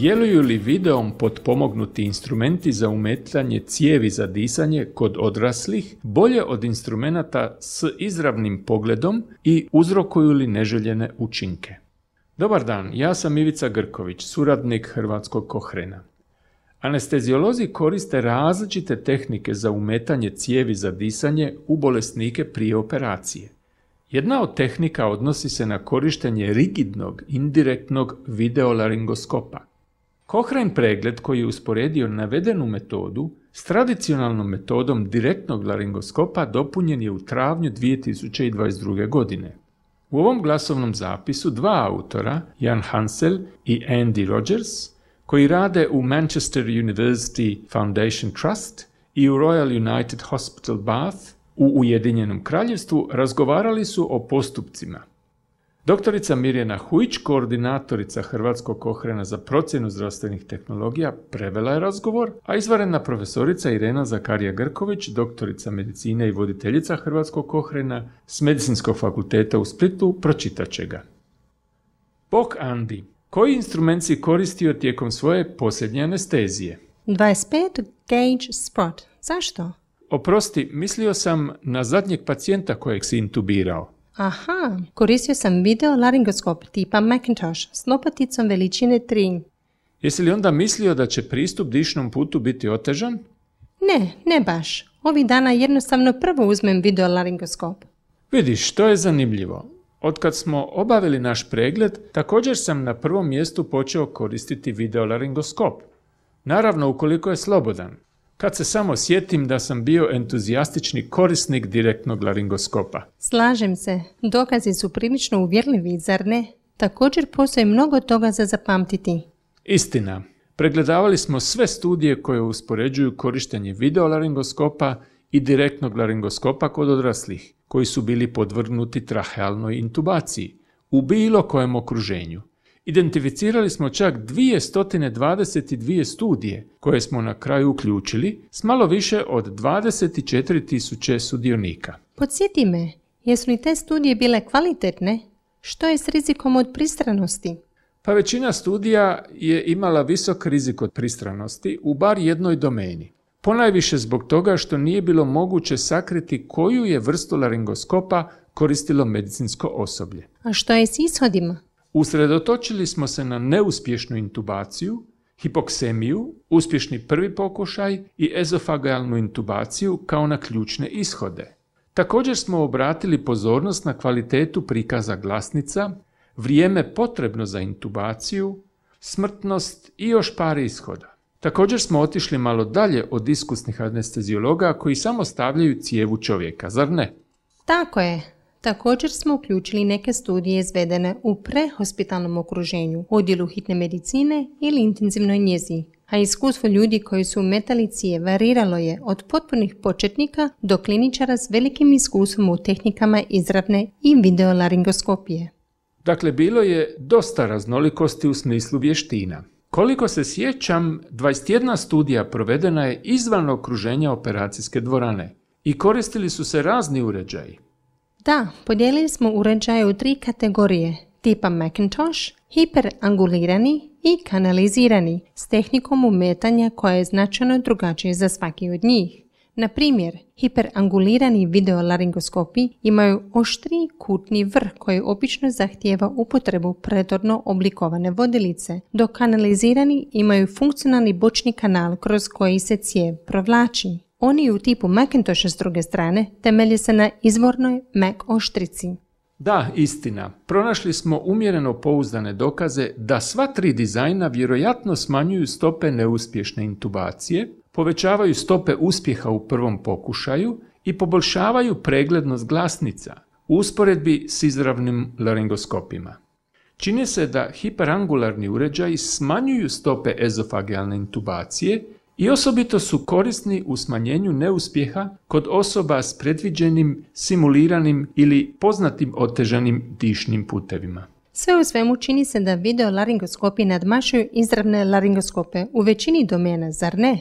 Djeluju li videom potpomognuti instrumenti za umetanje cijevi za disanje kod odraslih bolje od instrumenata s izravnim pogledom i uzrokuju li neželjene učinke? Dobar dan, ja sam Ivica Grković, suradnik Hrvatskog Kohrena. Anesteziolozi koriste različite tehnike za umetanje cijevi za disanje u bolesnike prije operacije. Jedna od tehnika odnosi se na korištenje rigidnog, indirektnog videolaringoskopa. Cochrane pregled koji je usporedio navedenu metodu s tradicionalnom metodom direktnog laringoskopa dopunjen je u travnju 2022. godine. U ovom glasovnom zapisu dva autora, Jan Hansel i Andy Rogers, koji rade u Manchester University Foundation Trust i u Royal United Hospital Bath u Ujedinjenom Kraljevstvu, razgovarali su o postupcima. Doktorica Mirjana Hujić, koordinatorica Hrvatskog Kohrena za procjenu zdravstvenih tehnologija, prevela je razgovor, a izvanredna profesorica Irena Zakarija Grković, doktorica medicine i voditeljica Hrvatskog Kohrena s Medicinskog fakulteta u Splitu, pročitat će ga. Bok Andi, koji instrument si koristio tijekom svoje posljednje anestezije? 25 gauge sprot. Zašto? Oprosti, mislio sam na zadnjeg pacijenta kojeg si intubirao. Aha, koristio sam videolaringoskop tipa Macintosh s lopaticom veličine 3. Jesi li onda mislio da će pristup dišnom putu biti otežan? Ne baš. Ovih dana jednostavno prvo uzmem videolaringoskop. Vidiš, to je zanimljivo. Otkad smo obavili naš pregled, također sam na prvom mjestu počeo koristiti videolaringoskop. Naravno, ukoliko je slobodan. Kad se samo sjetim da sam bio entuzijastični korisnik direktnog laringoskopa. Slažem se. Dokazi su prilično uvjerljivi, zar ne? Također postoji mnogo toga za zapamtiti. Istina. Pregledavali smo sve studije koje uspoređuju korištenje videolaringoskopa i direktnog laringoskopa kod odraslih, koji su bili podvrgnuti trahealnoj intubaciji u bilo kojem okruženju. Identificirali smo čak 222 studije koje smo na kraju uključili s malo više od 24.000 sudionika. Podsjeti me, jesu li te studije bile kvalitetne? Što je s rizikom od pristranosti? Pa većina studija je imala visok rizik od pristranosti u bar jednoj domeni. Ponajviše zbog toga što nije bilo moguće sakriti koju je vrstu laringoskopa koristilo medicinsko osoblje. A što je s ishodima? Usredotočili smo se na neuspješnu intubaciju, hipoksemiju, uspješni prvi pokušaj i ezofagealnu intubaciju kao na ključne ishode. Također smo obratili pozornost na kvalitetu prikaza glasnica, vrijeme potrebno za intubaciju, smrtnost i još par ishoda. Također smo otišli malo dalje od iskusnih anesteziologa koji samo stavljaju cijev u čovjeka, zar ne? Tako je. Također smo uključili neke studije izvedene u prehospitalnom okruženju, odjelu hitne medicine ili intenzivnoj njezi, a iskustvo ljudi koji su umetali cijev variralo je od potpunih početnika do kliničara s velikim iskustvom u tehnikama izravne i videolaringoskopije. Dakle, bilo je dosta raznolikosti u smislu vještina. Koliko se sjećam, 21 studija provedena je izvan okruženja operacijske dvorane i koristili su se razni uređaji. Da, podijelili smo uređaje u 3 kategorije, tipa Macintosh, hiperangulirani i kanalizirani, s tehnikom umetanja koja je značajno drugačija za svaki od njih. Na primjer, hiperangulirani videolaringoskopi imaju oštriji kutni vrh koji obično zahtijeva upotrebu predorno oblikovane vodilice, dok kanalizirani imaju funkcionalni bočni kanal kroz koji se cijev provlači. Oni u tipu Macintosha s druge strane temelje se na izvornoj Mac oštrici. Da, istina. Pronašli smo umjereno pouzdane dokaze da sva 3 dizajna vjerojatno smanjuju stope neuspješne intubacije, povećavaju stope uspjeha u prvom pokušaju i poboljšavaju preglednost glasnica u usporedbi s izravnim laringoskopima. Čini se da hiperangularni uređaji smanjuju stope ezofagealne intubacije i osobito su korisni u smanjenju neuspjeha kod osoba s predviđenim, simuliranim ili poznatim otežanim dišnim putevima. Sve u svemu čini se da videolaringoskopi nadmašuju izravne laringoskope u većini domena, zar ne?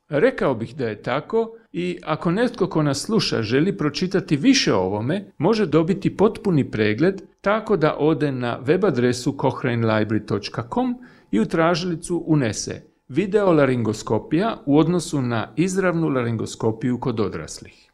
Rekao bih da je tako, I ako netko ko nas sluša želi pročitati više o ovome, može dobiti potpuni pregled tako da ode na web adresu cochranelibrary.com i u tražilicu unese videolaringoskopija u odnosu na izravnu laringoskopiju kod odraslih.